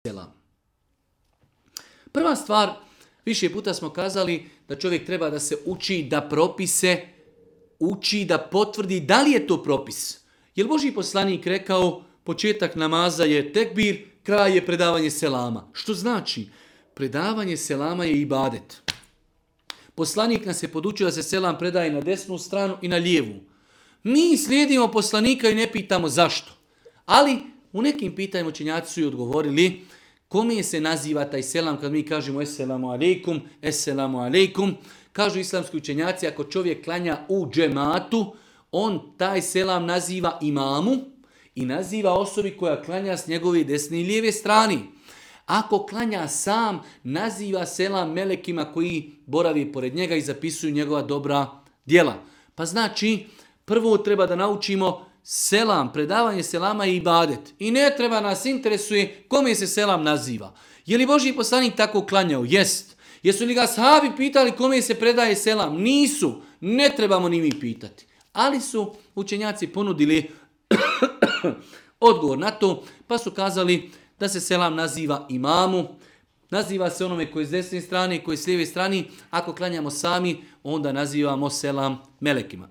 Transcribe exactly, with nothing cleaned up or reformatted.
selam. Prva stvar, više puta smo kazali da čovjek treba da se uči da propise, uči da potvrdi da li je to propis. Jer Božji poslanik rekao, početak namaza je tekbir, kraj je predavanje selama. Što znači? Predavanje selama je ibadet. Poslanik nas je podučio da se selam predaje na desnu stranu i na lijevu. Mi slijedimo poslanika i ne pitamo zašto. Ali u nekim pitanjima učenjaci su i odgovorili kome se naziva taj selam kad mi kažemo esselamu alejkum, esselamu alejkum. Kažu islamski učenjaci, ako čovjek klanja u džematu, on taj selam naziva imamu i naziva osobi koja klanja s njegove desne i lijeve strane. Ako klanja sam, naziva selam melekima koji boravi pored njega i zapisuju njegova dobra djela. Pa znači, prvo treba da naučimo selam, predavanje selama i ibadet. I ne treba nas interesuje kome se selam naziva. Je li Božji poslanik tako klanjao? Jest. Jesu li ga sahabi pitali kome se predaje selam? Nisu. Ne trebamo ni mi pitati. Ali su učenjaci ponudili odgovor na to, pa su kazali da se selam naziva imamu, naziva se onome koji je s desne strane, koji je s lijeve strane. Ako klanjamo sami, onda nazivamo selam melekima.